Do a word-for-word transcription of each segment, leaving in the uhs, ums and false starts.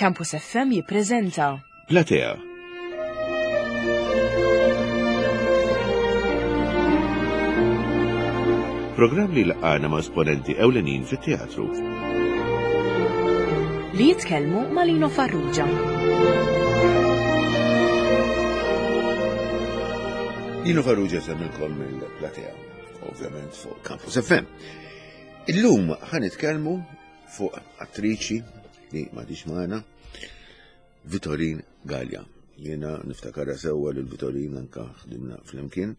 Campus F M jippreżenta Platea. Programm li laqana ma' esponenti ewlenin fit-teatru. Li jitkellmu ma' Lino Farrugia. Lino Farrugia semmilkom mill-Platea, ovvjament fuq Campus F M. Illum ħa nitkellmu fuq attriċi li m'għadhiex magħna, Vitorin Galea. Jiena niftakarha sewwa lil Vitorin, anka ħdimna flimkien.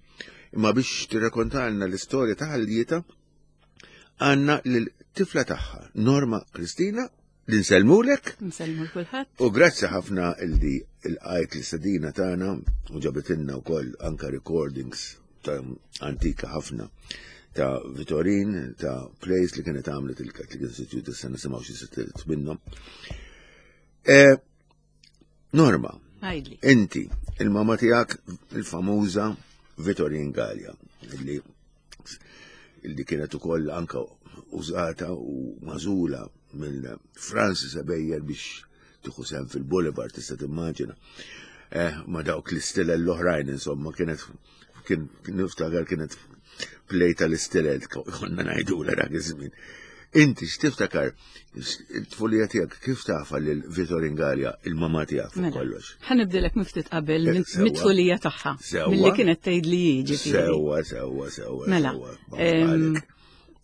Imma biex tirrakontalna l-istorja ta' ħajjitha għandna l-tifla tagħha, Norma Kristina, li nsellmulek. Nsellmu kulħadd. U grazzi ħafna illi lqajt l-istedina tagħna u ġabitilna wkoll anka recordings ta' antika ħafna ta' Vitorin, ta' plays li kienet għamlet il-Catholic Institute, issa nisimgħu xi siltiet minnhom. Eh, Norma, Għidli. inti, il-mama tiegħek il-famuża Vitorin Galea, illi illi kienet ukoll anka użata u magħżula mill Francis Ebejer biex tieħu sehem fil-Boulevard, tista' timmaġina. Eh, ma dawk l-istilel l-oħrajn, insomma, kienet kien niftakar kienet play tal-istilel, konna ngħidu dak iż-żmien. Inti x'tiftakar it-tfulija tiegħek, kif tafha lil Vitorin Galea, il-mama tiegħek fuq Mela, kollox? ħa nibdilek minn ftit qabel, Eh, minn sewwa. mit-tfulija tagħha. Sewwa. Milli kienet tgħid li jiġi. Sewwa, sewwa, sewwa. Mela, sewwa. em,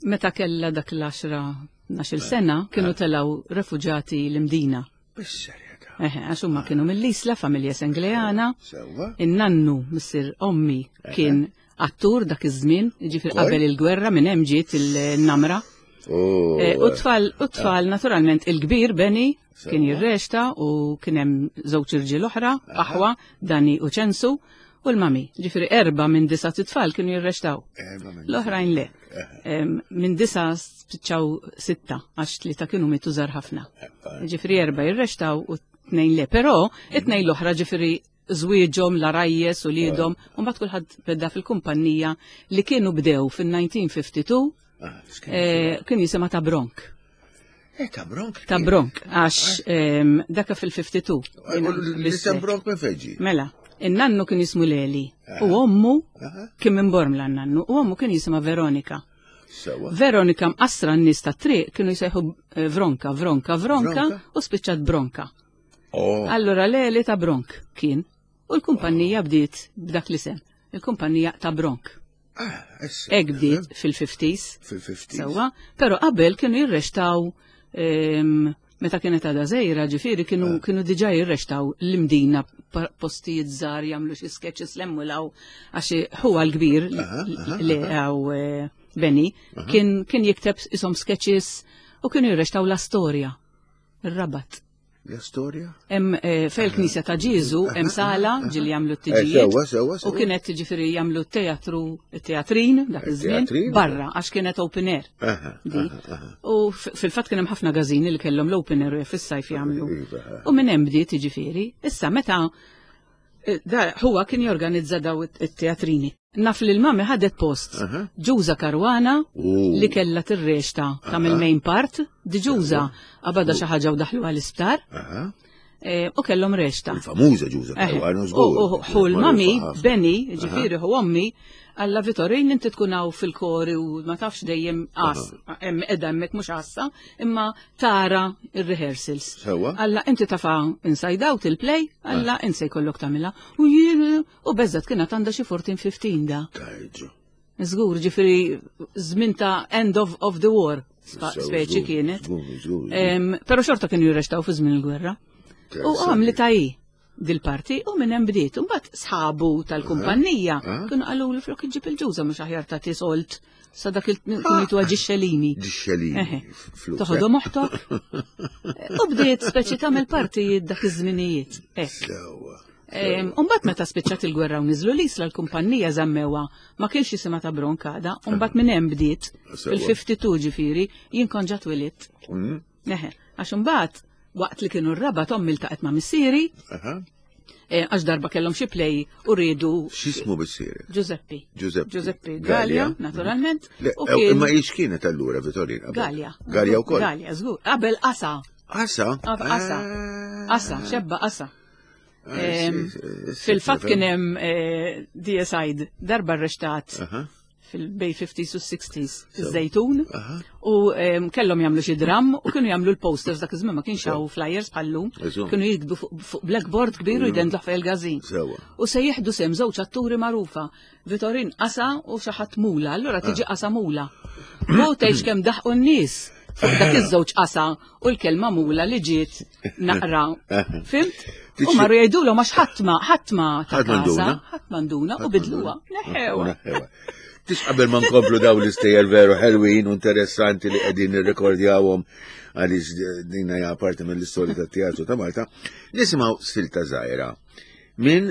meta kella dak l-għaxra tnax-il sena, kienu telaw refuġati l-Imdina. Bis-serjetà. Eħe, għax huma kienu mill-Isla, familja Sengleana. Sewwa. In-nannu, missier ommi, kien attur dak iż-żmien, jiġifieri Ukoll? qabel il-gwerra, minn hemm ġiet il-namra. Oh, Eh, U tfal, u tfal naturalment il-kbir Benny kien Sewwa. jirreċta u kien hemm żewġ irġiel oħra, aħwa, Dani u Ċensu, u l-mami. Ġifieri erba' minn disa' tfal kienu jirreċtaw. Erba' minn L-oħrajn le. Em, Minn disa' spiċċaw sitta, għax tlieta kienu mitu żgħar ħafna. Ġifieri erba' jirreċtaw u tnejn le. Però it-tnejn l-oħra ġifieri żwieġhom, l-għarajjes u wliedhom, u mbagħad kulħadd beda fil-kumpanija li kienu bdew fil-elf disa' mija u tnejn u ħamsin. Ah, x'kien? Eh, kien jisimha ta' Bronk. Eh, ta' Bronk. Ta' Bronk, għax em, daka fil-tnejn u ħamsin. L-isem Bronk minn fejn ġie? Mela, in-nannu kien jismu Leli u ommu Aha. kien minn Bormla n-nannu u ommu kien jisimha Veronika. Sewwa. Veronika mqassra, n-nies ta' triq kienu jsejħu eh, Vronka, Vronka, Vronka Vronka? u spiċċat Bronka. Oh, Allora Leli ta' Bronk kien u l-kumpanija bdiet b'dak l-isem. Il-kumpanija ta' Bronk. Ah, issa. Hekk bdiet fil-ħamsinijiet. Fil-ħamsinijiet. Sewwa, pero qabel kienu jirreċtaw em, meta kienet għadha żgħira, ġifieri kienu Ah. kienu diġà jirreċtaw l-Imdina, pa- postijiet żgħar, jagħmlu xi sketches lemmulaw, għax huwa l-kbir Aha, aha, li għaw eh, Benny kien kien jikteb isom sketches u kienu jirreċtaw la storja. Ir-Rabat. La storja? Hemm eh, fejn il-Knisja ta' Ġieżu hemm sala ġieli jagħmlu Eh, t-tiġijiet. Sewwa, sewwa, U sewwa. kienet ġifieri jagħmlu teatru, teatrin dak iż-żmien Teatrin? barra għax kienet open air. Aha, Di. aha, aha. U f- fil-fatt kien hemm ħafna gażini li kellhom l-open air fis-sajf jagħmlu. Iva, aha. U minn hemm bdiet jiġifieri. Issa meta eh, da huwa kien jorganizza daw it-teatrini. Naf li l-mami ħadet post Aha. Ġuża Karwana U. li kella tirreċta tagħmel main part, di Ġuża qabadha xi ħaġa u daħlu għall-isptar Aha. eh, u kellhom reċta. Il-famuża Ġuża Eħe. Karwana, U żgur. u ħu l-mami, Magħrufa ħafna. Benny, ġifieri hu ommi, alla Vitorin, inti tkun hawn fil-kori u ma tafx dejjem għas, hemm qiegħda hemmhekk mhux għassa, imma tara ir-rehearsals. Sewwa. Alla inti tafa Inside Out il-play, alla inti se jkollok tagħmilha. U jien u beżat kienet għandha xi erbatax, ħmistax da. Tajġu. Żgur, ġifieri żmien ta' end of, of the war, spa- Sewwa, speċi żgur, kienet. żgur, żgur, żgur. Em, Però xorta kienu jirreċtaw fi żmien il-gwerra. U għamli ta' hi dil-parti u minn hemm bdiet. Imbagħad sħabu tal-kumpanija Ah. kienu qalu li flok iġġib il-Ġuża mhux aħjar ta' sold sa dak il kienu jtuha ġixxelini. Ġixxelini. Eħe. Flus. Toħodhom oħtok. U bdiet speċi tagħmel partijiet dak iż-żminijiet. Hekk. Sewwa. Umbat meta spiċċat il-gwerra u niżlu l-Isla, l-kumpanija żammewha, ma kienx jisimha ta' Bronkada, umbat minn hemm bdiet Sewwa. fil-tnejn u ħamsin, ġifieri jien kont ġa twelidt. Mm. Eħe, għax imbagħad waqt li kienu r-Rabat ommi ltaqgħet ma' missieri, Aha. eh, għax darba kellhom xi play u riedu X'ismu missieri? Giuseppe. Giuseppe. Giuseppe Galea, naturalment. Le, U ew, kien imma ix kienet allura Vitorin? qabel? Galea. Galea wkoll. Galea, żgur. Qabel qasa. Qasa? Qasa. Ah. Qasa, xebba qasa. Fil-fatt kien hemm eh, D S I darba arrestat fil-bej fifties u sixties iż-Żejtun u kellhom jagħmlu xi dram u kienu jagħmlu l-posters. Dak iż-żmien ma kienx hawn flyers bħallum. Kienu jiktbu fuq blackboard kbir u jdendluh fejn il-każin. U se jieħdu sem żewġ atturi magħrufa, Vitorin Qasa u xi ħadd Mula, allura tiġi Qasa Mula. U tgħidx kemm daħqu n-nies fuq dak iż-żewġ qasa u l-kelma mula li ġiet naqra. Fhimt? U marru jgħidulhom għax ħadd ma ħadd ma ta' kasa, ħadd m'induna u bidluha. Neħewha. Tix qabel ma nkomplu daw l-istejjer veru ħelwin u interessanti li qegħdin nirrekordjawhom, għaliex din hija parti mill-istorja tat-teatru ta' Malta, nisimgħu silta żgħira minn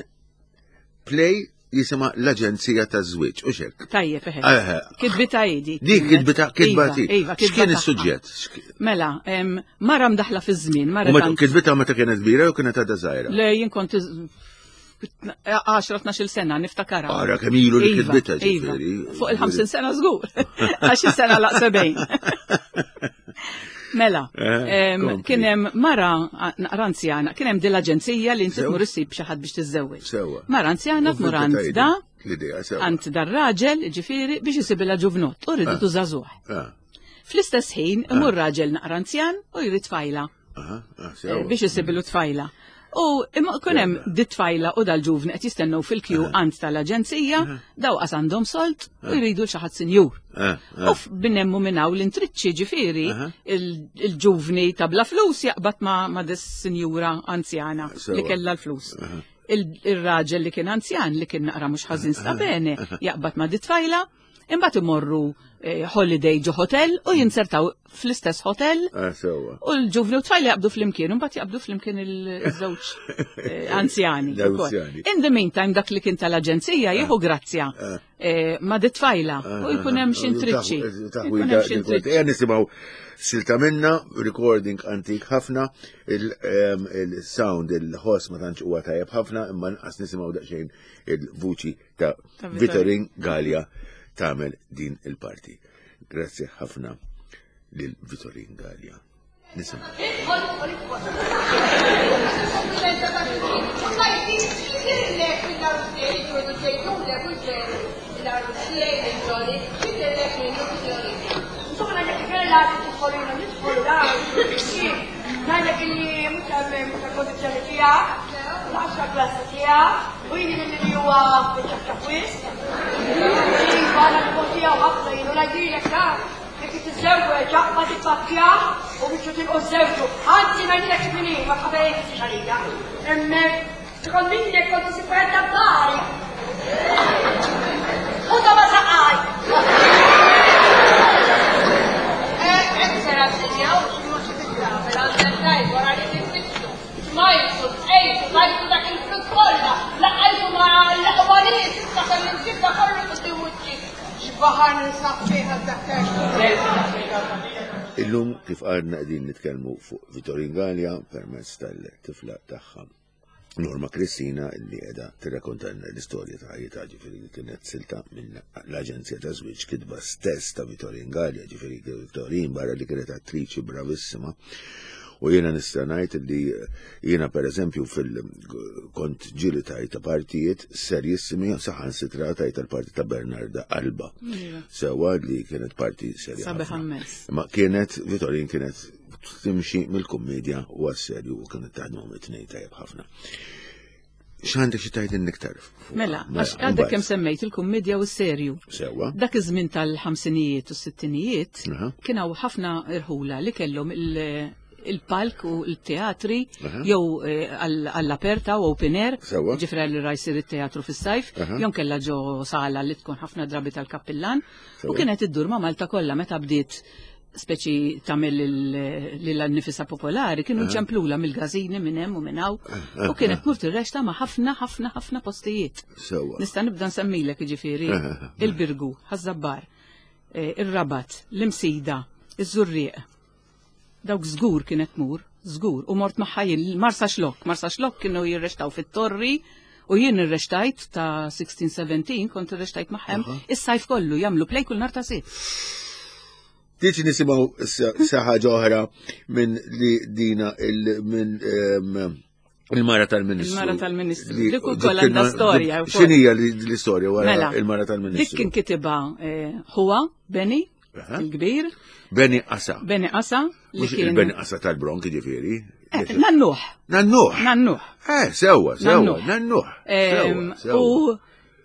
play jisimha L-Aġenzija ta' Żwieġ, u xek. Tajjeb, eħe. Kitbita idi. Dik kitbita, kitba Iva, iva, X'kien is-suġġett? Mela, mara mdaħla fi żmien. Mara kitbita meta kienet kbira jew kienet għadha żgħira? Le, jien kont għaxra tnax-il sena niftakara. Ara kemm ilu li Iva, kitbita, iva. ġifieri. Fuq il-ħamsin sena żgur. Għax is-sena laq sebgħin. Mela, Eh, em, kompli. kien hemm mara naqra anzjana, kien hemm din l-aġenzija li inti Sew. tmur issib xi ħadd biex tiżżewweġ. Sewwa. Mara anzjana U tmur fil-bita għand da, L-idea, sewwa. għand dar-raġel, ġifieri, biex isibilha ġuvnott, u rridu żagħżugħ. Ah, Fl-istess ħin imur raġel naqra anzjan u jrid tfajla aha, ah, eh, sewwa. biex isibilu tfajla. U imma kun hemm di tfajla u dal-ġuvni qed jistennew fil-kju għand tal-aġenzija, daw qas għandhom solt u jridu xi ħadd sinjur. Ah, ah. U binnemmu minn hawn l-intriċċi, ġifieri il-ġuvni ta' bla flus jaqbad ma' ma' dis sinjura anzjana Sewwa. li kellha l-flus. Il- Il-raġel li kien anzjan, li kien naqra mhux ħażin sta bene, jaqbad ma' di tfajla, imbagħad imorru eh, holiday ġo hotel u jinsertaw fl-istess hotel Ah, sewwa. u l-ġuvni u tfajla jaqbdu flimkien, u mbagħad jaqbdu flimkien il-żewġ eh, anzjani ukoll. L-anzjani. In the meantime, dak li kien tal-aġenzija jieħu grazzja eh, ma' di tfajla u jkun hemm xi intriċċi. Jkun hemm xi intriċċi. Ejja nisimgħu silta minna, recording antik ħafna, il- em, il-sound, il-ħoss ma tantx huwa tajjeb ħafna, imma nqas nisimgħu daqsxejn il-vuċi ta' Ta' Vitorin. Vitorin Galea tagħmel din il-parti. Grazzi ħafna lil Vitorin Galea. Nisimgħu. Idħol, idħol, idħol. Komplimenta ta' xulxin. U tajti, x'jidhirlek mill-għarus tiegħi, ġurdu ġejtulek u ġeru. Il-għarus tiegħi, il-ġoli, x'jidhirlek minnu, signorina? Insomma, ngħidlek kella tidħol jiena nidħol da. Ngħidlek illi mhux hemm mhux kondizzjoni tiegħek, l-għaxra klassi tiegħek, u jien li huwa ċafċaf wisq. Iva, għana li tiegħu ħafna jienu ngħidilek da. Jekk tiżżewweġ aqbad ippakkja u biex tilqu żewġu. Anzi, ngħidilek x'mini, ma tħabejk xalija. Hemmhekk tkun minnek kont isib Bari. U ta' ma saqaj. Eh, sera sinjaw, x'mhux titgħamel għandek tajb wara li tinfittxu. Smajtu, ejtu, tajtu dak il-flus kollha, laqajtu ma' l-aqwaniet, issa kelli nġibda kollu quddiem wiċċi. X'baħar ninsab fih dak. Illum, kif għadna, qegħdin nitkellmu fuq Vitorin Galea permezz tal-tifla tagħha Norma Kristina, li qiegħda tirrakkontalna l-istorja ta' ħajjitha. Ġifieri li kienet silta minn L-Aġenzija ta' Żwieġ, kitba stess ta' Vitorin Galea. Ġifieri Vitorin, barra li kienet attriċi bravissima, u jiena nista' ngħid li jiena pereżempju fil kont ġieli tajta partijiet serjissimi, saħansitra tajta l-parti ta' Bernarda Alba. Sewwa, li kienet parti serja Sabiħ ħafna. immens. Ma kienet, Vitorin kienet timxi mill-kummedja u għas-serju u kienet taħdmu it-tnejn tajjeb ħafna. X'għandek xi tgħidilna iktar fuqha? Mela, għax għadek kemm semmejt il-kummedja u s-serju. Sewwa. Dak iż-żmien tal-ħamsinijiet u s-sittinijiet Aha. kien hawn ħafna irħula li kellhom il- il-palk u l-teatri Aha. jew eh, għall- għall-aperta u open air, Sewwa. ġifra li ra jsir it-teatru fis-sajf, Aha. jew kellha ġo sala li tkun ħafna drabi tal-kappillan u Sewwa. kienet iddur ma' Malta kollha. Meta bdiet speċi tagħmel lil nifisa popolari, kienu ċemplula mill-każini minn hemm u minn hawn u kienet tmur tirrexta ma' ħafna ħafna ħafna postijiet. Sewwa. Nista' nibda nsemmilek, jiġifieri Aha. il-Birgu, Ħaż-Żabbar, eh, ir-Rabat, l-Imsida, iż-Żurrieq. Dawk żgur kienet tmur, żgur, u mort magħha jien Marsa Xlokk. Marsa Xlokk kienu jirrextaw fit-torri u jien irrextajt ta' sittax-sebatax, kont irrextajt magħhom is-sajf kollu, jagħmlu play kull nhar ta' Sibt. Tiġi nisimgħu sa ħaġa oħra minn li dina il minn ehm, il-mara tal-Ministru. Il-mara tal-Ministru. Li- Dik ukoll għandha storja wkoll. X'inhija li- l-istorja wara Mela, il-mara Dik tal-Ministru? kien kitibha eh, huwa Beni, Aha. il-kbir, Beni Qasa. Beni Qasa, li Mhux kien. il-Beni Qasa tal-Bronk ġifieri. Eh, Nannuh, Nannuh. nannuh. Eh, sewwa, sewwa, Nannuh. nannuh. Em, Sewwa, sewwa. U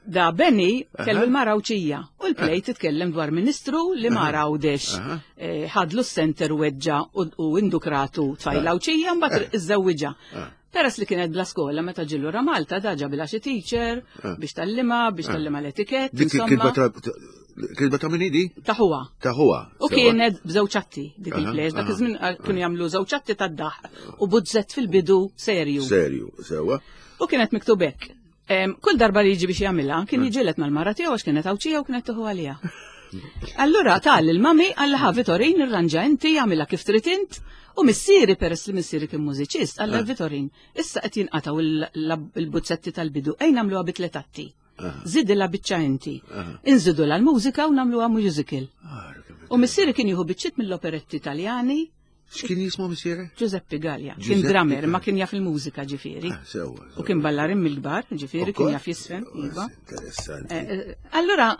da Beni kellu Aha. l-mara Għawdxija u l-play titkellem dwar ministru li mara Għawdex Aha. eh, ħadlu s-center weġġa u u indukratu tfajla Għawdxija mbagħad iżżewwiġha. Ah. Peress li kienet bla skola meta ġie lura Malta da ġabilha xi teacher biex tgħallimha, biex tgħallimha l-etikett, Dik insomma, kitba ta' kitba ta' min hi di? ta' huwa. Ta' huwa. U sewwa. kienet b'żewġ atti dik Aha, il-play, dak aha. iż-żmien eh, kienu jagħmlu żewġ atti tad-daħ u buzzett fil-bidu serju. Serju, sewwa. U kienet miktub hekk. Em, Kull darba li jiġi biex jagħmilha, kien jiġilet mal-mara tiegħu għax kienet Għawdxija u kienet tieħu għaliha. Allura tal il-mami għalla ħa Vitorin irranġa inti jagħmilha kif trid int u missieri peress li missieri kien mużiċist għalla Vitorin issa qed jinqataw il- il-buzzetti tal-bidu ejn nagħmluha bi tliet atti. Żidilha biċċa inti. Inżidu l-mużika u nagħmluha musical. U missieri kien jieħu biċċiet mill-operetti Italjani X'kien jismu missiere? Giuseppe Gallia. Kien Giuseppe drummer, Gallia. ma kien jaf il-mużika ġifieri. Ah, sewwa. U kien ballarin mill-kbar, ġifieri, kien Ukoll? jaf jisfen, iva. Interessanti. Eh, eh, Allura,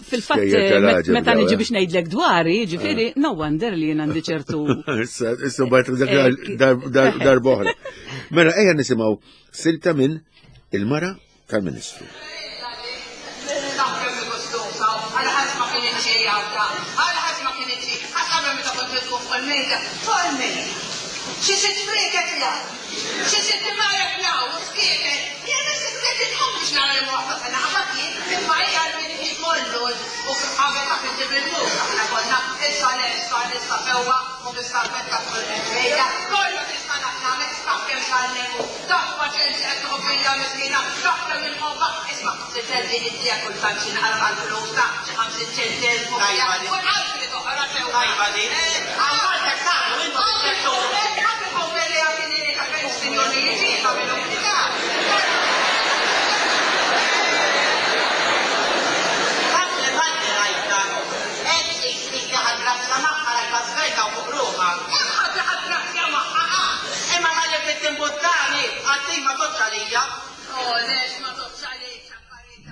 fil-fatt, Skejjer eh, tal-għaġeb met- meta daw, niġi eh. biex ngħidlek dwari, ġifieri, no wonder li jien għandi ċertu. Issa, issa bajt dak Eh, dar- dar- darba oħra. Mela, ejja nisimgħu silta minn il-mara tal-Ministru. Taf kemm gustusa, għal ħadd ma kien xi jgħadda, għal ħadd ma kien xi, ħadd qabel meta kont nitqu fuq il-mejda, fuq il-mejda. Xi sitt friket la, xi sitt marek la, u skieket. Jien issa tqum biex nara li waħda sena qabad jien, imma hija l-min kollu u qabel ta' inti bil-mux aħna konna issa lesta lesta sewwa u bis-salvetta fuq il-mejda, kollu tista' nagħmel taf kemm tgħallemu, taf paċenzja qed tieħu fija miskina, taf kemm inħobbha, isma' sitt inti kultant xi naqra għall-flus ta' xi ħamsin ċenteżmu. Tajba di. U nqalbi li toħra sewwa. Tajba di. Għal-Malta tagħmlu intom ċertu. Tanti tanti rajta. Hekk tqis li ħa grazzja magħha rajta svelta u fuq ruħha. Imma għalli fit-timbuttani, għattin ma totx għalija.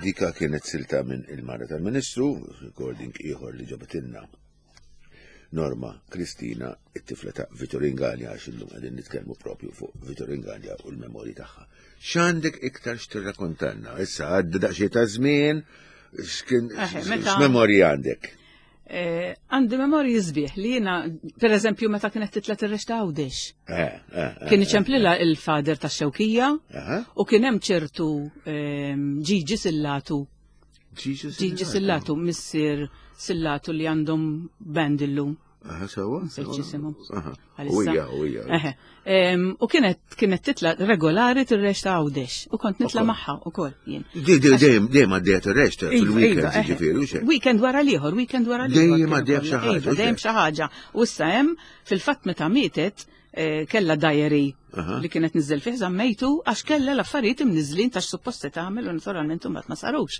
Dika kienet silta minn il-mara tal-Ministru, recording ieħor li ġabetilna Norma Kristina, it-tifla ta' Vitorin Gallia, għax illum qegħdin nitkellmu propju fuq Vitorin Gallia u l-memorji tagħha. X'għandek iktar x'tirrakkontanna? Issa għadda daqsxejn ta' żmien, x'kien Eħe, meta- x'memorji għandek? Eh, Għandi memorji sbieħ li jiena, per eżempju, meta kienet titla tirreċta Għawdex. Eh, eh, eh, Kien iċemplilha il-fader ta' Xewkija Aha. u kien hemm ċertu ehm, Ġiġi Sillatu. Ġiġi Ġiġi Sillatu, missier Sillatu li għandhom band illum. Aha, sewwa? Nsejt x'isimhom. Aha. Għalissa. Uija, uija. Eħe. Em, U kienet kienet titla regolari tirreċta Għawdex u kont nitla Ukoll. magħha ukoll jien. Di- di- Dejjem dejjem għaddejja tirreċta Iva, fil-weekend, iva, eħe. ġifieri, u xejn. Weekend wara l-ieħor, weekend wara l-ieħor. Dejjem kienu għaddejja kollha. b'xi ħaġa, Iva, u dejjem xejn. xi ħaġa. U issa hemm fil-fatt meta mietet eh, kella diary Aha. li kienet niżel fih żammejtu għax kella l-affarijiet imniżlin ta' suppost se tagħmel u naturalment imbagħad ma sarux.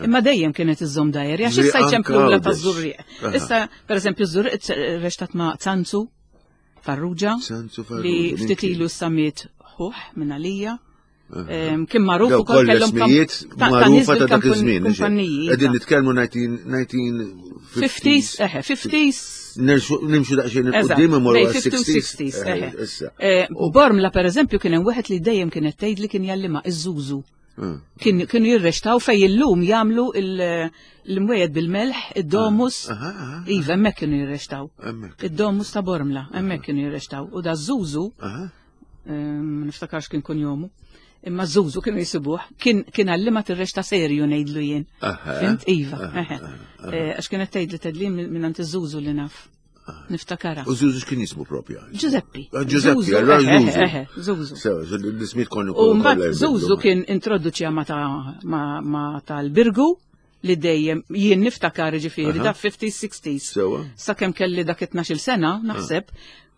Imma dejjem kienet iżżomm diary għax Li issa anka jċemplula Għawdex. taż-Żurrieq. Aha. Issa pereżempju ż-Żurrieq reċtat ma' Sanzu Farrugia Sanzu Farrugia, li min ftit kien? ilu samiet ħuħ minn għalija. Em, Kien magħruf Daw ukoll kollha kellhom kam- ismijiet ta' ta' nies magħrufa ta' dak bil-kampun- iż-żmien. kumpaniji. Qegħdin iva. nitkellmu nineteen fifties. fifties, eħe, fifties. Nerxu- Nimxu daqsxejn Eżatt, il-qudiem imorru bej għal fifty u sixties. sixties, Eh, eħe. Issa. Eh, Bormla per eżempju kien hemm wieħed li dejjem kienet tgħid li kien jgħallimha iż-żużu. Ah. Kien kienu jirrextaw fej illum jagħmlu il- l-imwejjed bil-melħ, id-domus. Aha, aha. Iva, hemmhekk kienu jirrextaw. Hemmhekk. Id-domus ta' Bormla, hemmhekk kienu jirrextaw. U da żużu, Aha. ma niftakarx kien kun jomu, imma żużu kienu jisibuh, kien kien għallima tirrexta serju ngħidlu jien. Aha. Fint? Iva, Aha, eħe. Eh, Għax kienet tgħidli tgħidli minn għand iż-żużu li naf. Niftakara. U Zuzu x'kien jismu propja? Giuseppe. Ah, Giuseppe, Zuzu, allora eħe, Zuzu. eħe, Zuzu. Sew, l-ismijiet konnu U mbagħad Zuzu kien introduċja ma ta' ma, ma tal-Birgu li dejjem jien niftakar ġifieri da fifties sixties. Sewa. Sakemm kelli dak tnax-il sena, naħseb,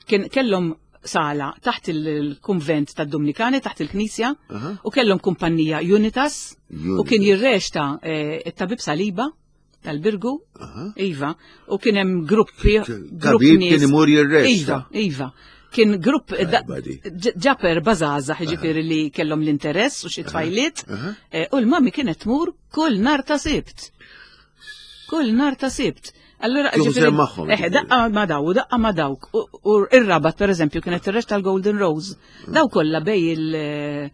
kien kellhom sala taħt il-kunvent tad-Dominikani, taħt il-Knisja, Aha. u kellhom kumpanija Unitas, u Unitas. kien jirrexta eh, it-tabib Saliba, Tal-Birgu, iva, u kien hemm gruppi, grupp Tabib nies. kien imur jirrexta. Iva, iva. Kien grupp da- buddy. ġ- ġaper bazaza, ġifieri li kellhom l-interess u xi tfajliet, eh, u l-mami kienet tmur kull nar ta' Sibt. Kull nar ta' Sibt. Allora, Tieħu ġifieri- sehem magħhom, Eh, ġifieri. daqqa ma daw, u daqqa ma dawk. U u ir-Rabat, per eżempju, kienet ir-reċta tal-Golden Rose. Daw kollha bej il-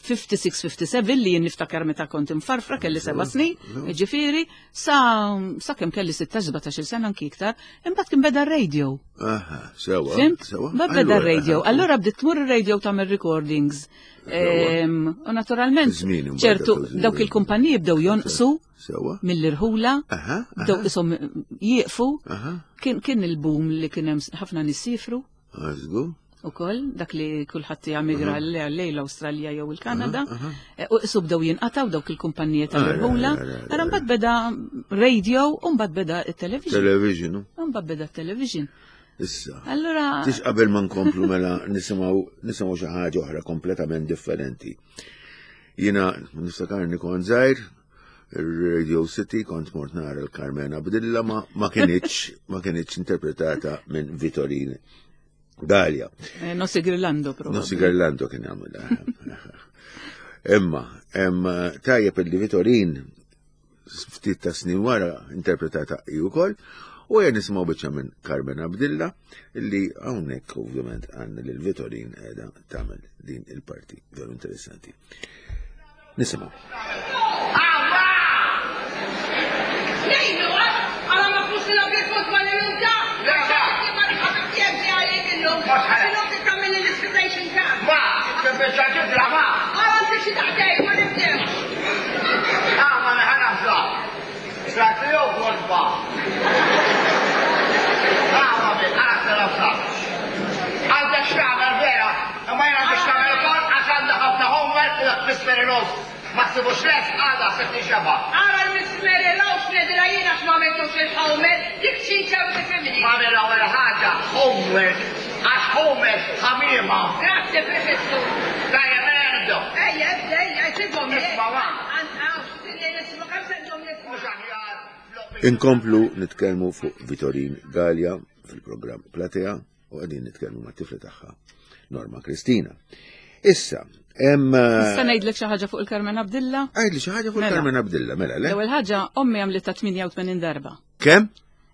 ħamsa u ħamsin ħamsa u sebgħin li jien niftakar meta kont imfarfra kelli seba' snin, ġifieri, sa sa kemm kelli sittax sbatax-il sena anki iktar, imbagħad kien beda r-radio. Aha, sewa. Fhimt? Sewa. Mbagħad beda Allura, r-radio. aha. Allura bdiet tmur ir-radio tagħmel recordings. Ehm, U naturalment, Żmien imbagħad ċertu dak iż-żmien. dawk il-kumpaniji bdew jonqsu Sewa. mill-irħula, Aha, bdew isom jieqfu. Aha. Kien kien il-boom li kien hemm ħafna nies sifru Għazgu. ukoll, dak li kulħadd jemigra lejn l-Awstralja jew il-Kanada. Eh, U isu bdew jinqataw dawk il-kumpaniji tal-irħula. Ah, ah, ah, Ara mbagħad beda radio u mbagħad beda it-television. Television. U mbagħad beda t-television. Issa. Allura Tix qabel ma nkomplu mela nisimgħu nisimgħu xi ħaġa oħra kompletament differenti. Jiena niftakarni kont żgħir, il-Radio City kont mort nara l-Carmen Abdilla ma, ma kinitx ma kinitx interpretata minn Vitorin Galea. eh, Nossi Grillando proprio. Nossi Garlando kien jagħmilha. Imma, imma tajjeb illi Vitorin ftit ta' snin wara interpretata hi wkoll u jien nisimgħu biċċa minn Carmen Abdilla illi hawnhekk ovvjament għandna lil Vitorin qiegħda tagħmel din il-parti veru interessanti. Nisimgħu. Nejnu, għala ma flus l-għabri illum ta' Illum titkamil l-ispitation ta' Ma, tibbiċa ġibla ma. Għala nti xi daqtej, ma nibdew. Ah, ma neħana bża. Tratiju kolba. Ah, ma bi, għana s-nafsa. Għandek x'tagħmel vera, imma jien għandek x'tagħmel ukoll għax għandha ħafna homework u Miss Mary Rose. Ma ssibux les għada sitt xeba. Għara l-Miss Mary Rose nedra jiena x'ma għamiltux il-homework, dik ċinċa u tifhimni. Ma mill-ewwel ħaġa homework għax homework ħamiema. Grazie, prefettu. Dajja, mela nibdew. Ejja, ebda, ejja, sibhom. Isma' ma. Mhux aħjar. Inkomplu nitkellmu fuq Vitorin Galea fil-programm Platea u qegħdin nitkellmu mat-tifla tagħha Norma Kristina. Issa, hemm Nista' ngħidlek xi ħaġa fuq il-Carmen Abdilla? Għidli xi ħaġa fuq Mela. Carmen Abdilla, mela, le? L-ewwel ħaġa ommi għamlitha tmienja u tmenin darba. Kemm?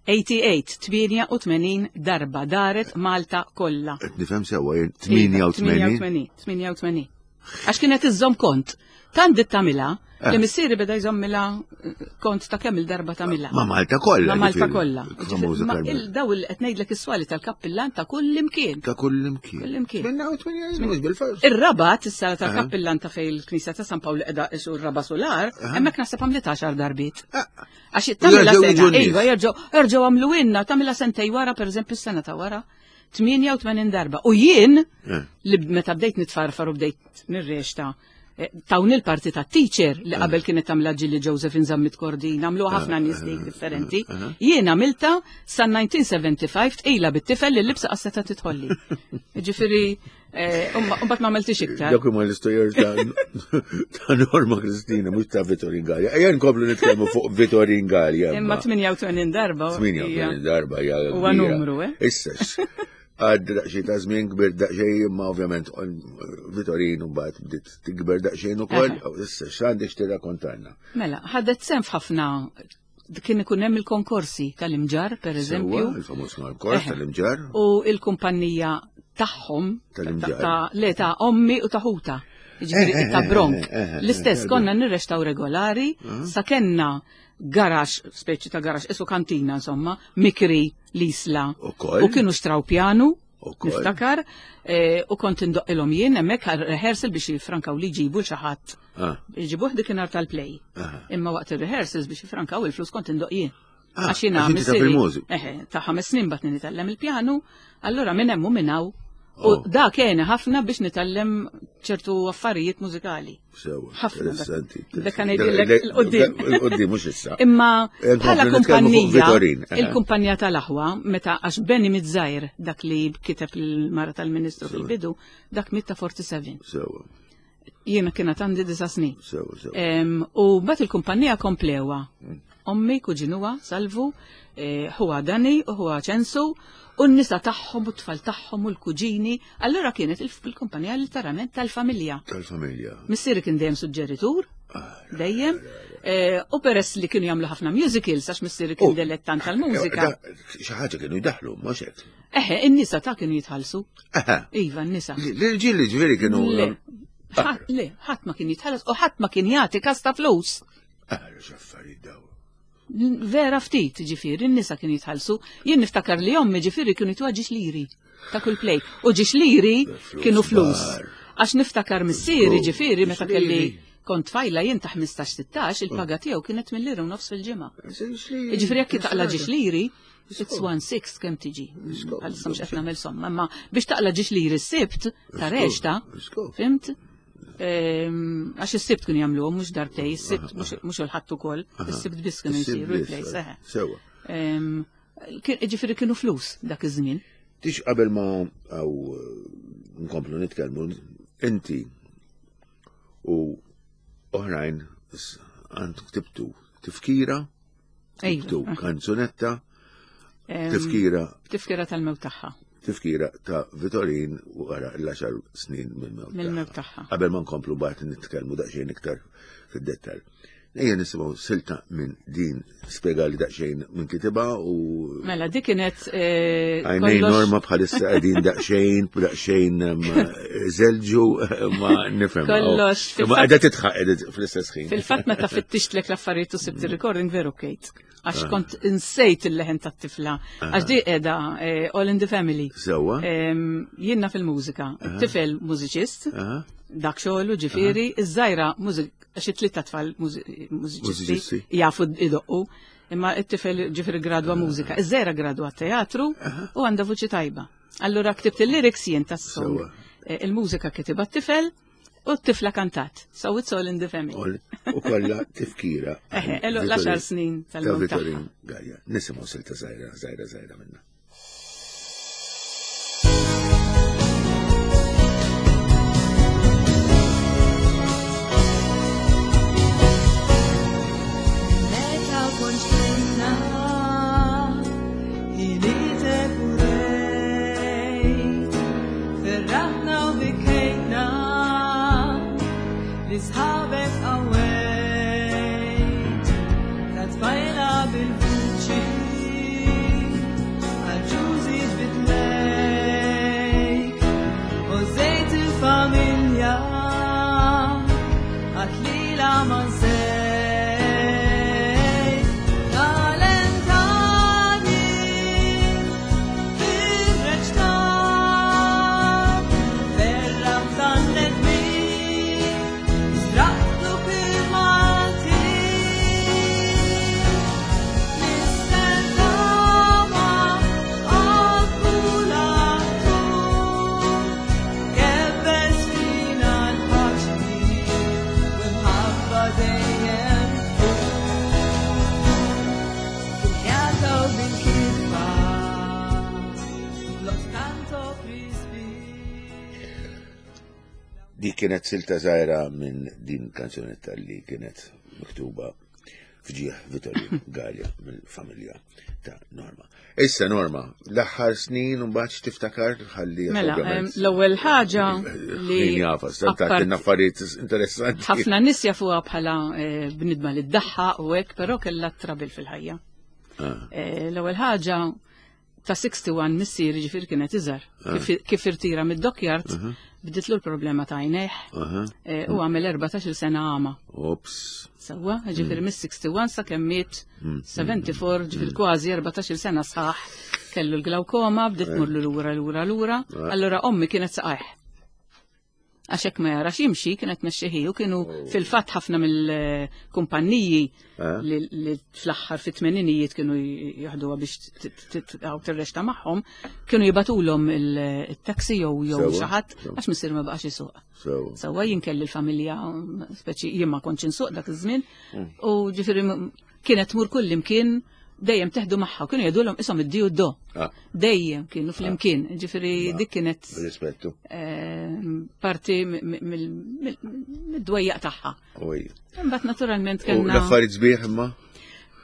tmienja u tmenin, tmienja u tmenin darba daret Malta kollha. Qed nifhem sewwa jien tmienja u tmenin. tmienja u tmenin, tmienja u tmenin. Għax kienet iżżomm kont. Tant bdiet tagħmilha Eh. li missieri beda jżommilha eh, kont ta' kemm il-darba tagħmilha. Ma' Malta kollha. Ma' Malta ġifieri. kollha. Famuża Ma' Carmen. il- daw il qed ngħidlek is-swali tal-kappillan ta' kull imkien. Ta' kull imkien. Kull imkien. tmienja u tmenin, mhux bil-fors. Ir-Rabat, is-sala tal-kappillan ta' fej il-Knisja ta' San Pawl qiegħda isu r-raba solar, hemmhekk naħseb għamlet għaxar darbiet. Ah. Għax tagħmilha Jerġgħu sena, jiġu n-nies. iva, jerġgħu jerġgħu għamlu inna, tagħmilha sentej wara, pereżempju s-sena ta' wara, tmienja u tmenin darba. U jien, Eh. li meta bdejt nitfarfar u bdejt nirrexta, eh, tawni l-parti ta' teacher li qabel kienet tagħmilha Ġilli Josephine Zammit Kordin, għamlu ħafna nies dik differenti. Jien għamilta sa elf disa' mija u ħamsa u sebgħin tqila bit-tifel li l-libsa qasseta titħolli. Ġifieri, eh, u mbagħad ma għamiltix iktar. Dak huma l-istorja ta' ta' Norma Kristina, mhux ta' Vitorin Galea. Ejja nkomplu nitkellmu fuq Vitorin Galea. Imma tmienja u tmenin darba. hija- tmienja u tmenin darba hija Huwa kbira. numru, eh? Issa, għad daqsxejn ta' żmien kbir daqsxejn, imma ovvjament Vitorin u mbagħad bdiet tikber daqsxejn ukoll. Issa, x'għandek tirrakkontanna? Mela, ħadet sehem f'ħafna kien ikun hemm il-konkorsi tal-Imġarr, per eżempju. Sewwa, il-famuż konkors Eħe. tal-Imġarr. U il-kumpanija tagħhom Tal-Imġarr. ta' le ta' ommi u ta' ħuta. Jiġifieri Eh, eh, ta' Bronk. eh, eh, eh, L-istess eh, konna nirrextaw regolari, sa kenna garax, speċi ta' garax, isu kantina insomma, mikri l-Isla. Ukoll. U kienu xtraw pjanu, Ukoll. niftakar, eh, u kont indoqqilhom jien hemmhekk għal rehearsal biex jifrankaw li jġibu xi ħadd. Ah. Jġibuh dik tal-play. Aha. Imma waqt il-rehearsals biex jifrankaw il-flus kont indoq jien. Ah, Għax jiena għax inti taf missieri- il-mużika. Eħe, ta' ħames snin bat nitgħallem il-pjanu, allora minn hemm u minn hawn. U Oh. da kien ħafna biex nitgħallem ċertu affarijiet mużikali. Sewa, Ħafna. interessanti. Dak kan ngħidilek il-qoddim. Il-qoddim, mhux issa. Imma Eh, bħala nkomplu nitkellmu fuq kumpanija, Vitorin, eh. il-kumpanija tal-aħwa, meta għax Benny Mizzajr, dak li kiteb il-mara tal-ministru fil-bidu, dak miet ta' erbgħa u sebgħin. Sewa, Jiena kienet għandi disa snin. sewa, sewa. Em, U mbagħad il-kumpanija komplewa. Ommi, kuġinuha, Salvu, eh, huwa Dani u huwa Ċensu, u n-nisa tagħhom u t-tfal tagħhom u l-kuġini. Allura kienet il-kumpanija literalment tal-familja. Tal-familja. Missieri kien dejjem suġġeritur, dejjem. Eh, u peress li kienu jagħmlu ħafna musicals, għax missieri kien Oh. dilettant tal-mużika. Xi ħaġa kienu jdaħlu, mhux hekk. Eħe, in-nisa ta' kienu jitħallsu. Aha. Iva, n-nisa. L-irġiel ġifieri kienu. Le, ħadd- le, ħadd ma kien jitħallas u ħadd ma kien jagħti kas ta' flus. Ah, x'affarijiet daw. Vera ftit, ġifieri, n-nisa kienu jitħallsu. Jien niftakar li ommi ġifieri kienu jtuha ġiex liri ta' kull play. U ġiex liri Flus kienu flus. kbar. Għax niftakar missieri Żgur, ġifieri meta ġiex kelli liri. kont tfajla jien ta' ħmistax sittax, il-paga tiegħu kienet mill-lira u nofs fil-ġimgħa. Ġifieri jekk taqla ġiex liri, it's one sixth kemm tiġi. Għalissa mhux qed nagħmel somma, imma biex taqla ġiex liri s-sibt ta' reċta, Żgur. fimt? Ehm, Għax is-sibt kienu jagħmluhom mhux darbtej, is-sibt mhux mhux il-ħadd ukoll, is-sibt biss kienu jsiru il-plejs, eħe. Sewa. Ehm, kien- Ġifieri kienu flus dak iż-żmien. Tix qabel ma għaw nkomplu nitkellmu, inti u oħrajn s- għand ktibtu tifkira, ktibtu Ejwa. kanzunetta, Ehm, tifkira, Tifkira tal-mewt tagħha. tifkira ta' Vitorin wara l-għaxar snin mill-mewt Mill-mewt tagħha. Qabel ma nkomplu bat nitkellmu daqsxejn iktar fid-dettall. Ejja nisimgħu silta minn din spjega li daqsxejn minn kitibha u Mela, dik kienet eh, Għajnejn kollox- Norma bħalissa qegħdin daqsxejn, daqsxejn em, zelġu ma nifhem. Kollox, Ma fil-fatt- qiegħda titħaq qiegħda fl-istess ħin. Fil-fatt meta fittixtlek l-affarijiet u sibt il-recording veru Kate. Għax kont insejt il-leħen tat-tifla. Għax di qiegħda eh, All in the Family. Sewwa. Em, Jienna fil-mużika. Tifel mużiċist, Aha. dak xogħlu ġifieri, iż-żgħira mużik għax it-tliet tfal mużiċisti Mużiċisti. jafu idoqqu. Imma it-tifel ġifieri gradwa mużika. Iż-żgħira gradwa teatru u għandha vuċi tajba. Allura ktibt il-lyrics jien tas-song. Sewwa. Eh, Il-mużika kitibha t-tifel u t-tifla kantat. So it's all in the family. Ol- U kollha tifkira. Eħe, elu l-għaxar snin Ta' tal-mewt tagħha. Vitorin Galea. Nisimgħu silta żgħira, żgħira, żgħira minna. Meta kont xtintna, ilitek u rejt, ferraħna u bikejtna, li sħabek qawwejt, ta' tfajla bil-vuċi, għal-ġużi ġbitlejk, u żejt il-familja, għatlila ma nsejt. Talentani fil-reċta, ferraħ tan-nedmin, straqtu fil-Malti. Nistennawa għal-kulatu, kebbes fina l-paċi, u mħabba dejjem tkun. Bil-ħjata u bil-kitba, lo tanto frisbee. Dik kienet silta żgħira minn din kanzunetta li kienet miktuba fġieħ Vitorin Galea mill-familja ta' Norma. Issa Norma, l-aħħar snin u mbagħad x'tiftakar ħalli Mela, em, ovvjament- l-ewwel ħaġa li Min jafa, apart- stant affarijiet interessanti. ħafna nies jafuha bħala eh, bnidma li ddaħħaq u hekk, però kellha trabil fil-ħajja. Ah. Eh, L-ewwel ħaġa ta' wieħed u sittax missieri ġifieri kienet iżgħar. Kif- Kif irtira mid-dockyard, bditlu l-problema ta' għajnejh Aha. eh, u għamel erbatax-il sena għama. Ops. Sewwa, ġifieri mis-wieħed u sittin sa kemm miet sebgħa u sebgħin, ġifieri kważi erbatax-il sena sħaħ. Kellu l-glaukoma, bdiet tmurlu lura lura lura. Allura ommi kienet saqajh. Għax hekk ma jarax jimxi kienet mexxiħi u kienu fil-fatt ħafna mill-kumpanniji Eh? li li fl-aħħar fit-tmeninijiet kienu jaħduha biex għaw tirrexta magħhom, kienu jibatulhom il-taxi jew jew Sewwa, xi ħadd sewwa. għax missier ma baqax isuq. So, Sewwa jien kelli l-familja, speċi jien ma kontx insuq dak iż-żmien, u ġifieri m- kienet tmur kull imkien dejjem teħdu magħha, kienu jgħidulhom ishom id-di u d-do. Ah. Dejjem kienu flimkien, ġifieri dik kienet rispettu. eh, parti mid-dwejjaq tagħha. Oj. Imbagħad naturalment U kellna l-affarijiet sbieħ imma?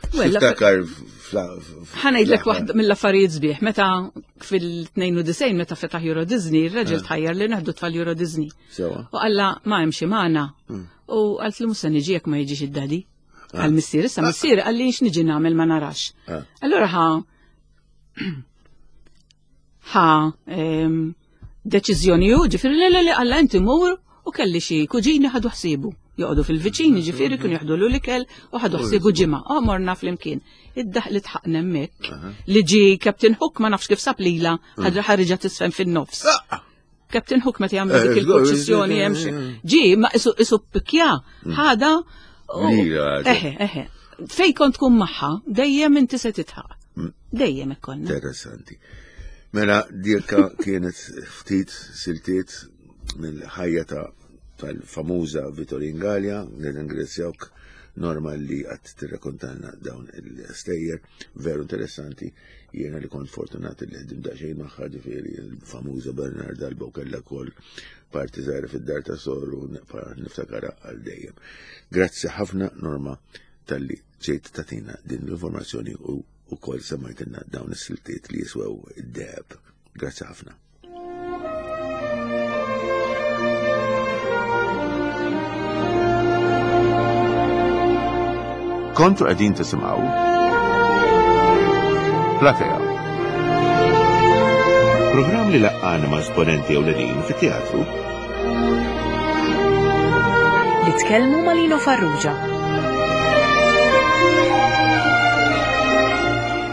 Tiftakar Ħa ngħidlek waħda mill-affarijiet sbieħ, meta fil-tnejn u disgħin meta fetaħ Euro Disney, ir-raġel eh. tħajjar li naħdu tfal Euro Disney. Sewa. U qalla ma hemmx magħna. Hmm. U qalt li mhux se niġi jekk ma jiġix id-daddy. Ah. Għal missier, issa missier qalli x'niġi nagħmel ma narax. Ah. Allura ħa ħa deċiżjoni hu, ġifieri le le le qalla inti mur u kelli xi kuġini ħadu ħsiebu. Joqogħdu fil-viċini, ġifieri kienu jaħdu l ikel u ħadu ħsiebu ġimgħa. Oh, morna flimkien. Id-daħ li tħaqna hemmhekk li ġi Captain Hook ma nafx kif sab lila ħadra ħarġa tisfen fin-nofs. Ah! Captain Hook meta jagħmlu dik Eh, il-proċessjoni hemm xi. Ġi ma isu isu pikja ħada. u- Lila ħaġa. Eħe, eħe. Fej kont tkun magħha, dejjem inti se titħaq. Dejjem ikkonna. Interessanti. Mela, dirka kienet ftit siltiet mill-ħajja ta' tal-famuża Vittorin Gallia, nirringrazzjawk Norma li għat tirrakontanna dawn il-stejjer, veru interessanti, jiena li kont fortunat li ħdim daqsxejn magħha, ġifieri il-famuża Bernard Alba u kellha wkoll parti żgħira fid-dar ta' soru niftakara għal dejjem. Grazzi ħafna Norma talli ġejt tatina din l-informazzjoni u ukoll semmajtilna dawn is-siltiet li jiswew id-deheb. Grazzi ħafna. Kontu qegħdin tisimgħu Platea. Programm li laqqana ma' esponenti ewlenin fit-teatru Li tkellmu ma' Lino Farrugia.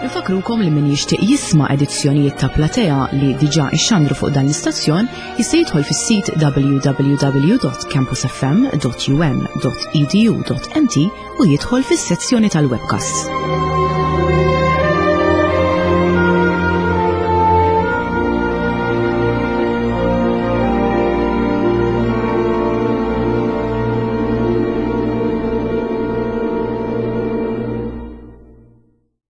Infakrukom li min jixtieq jisma' edizzjonijiet ta' Platea li diġà ixxandru fuq dan l-istazzjon jista' jidħol fis-sit w w w dot campus f m dot u m dot e d u dot m t u jidħol fis-sezzjoni tal-webcasts.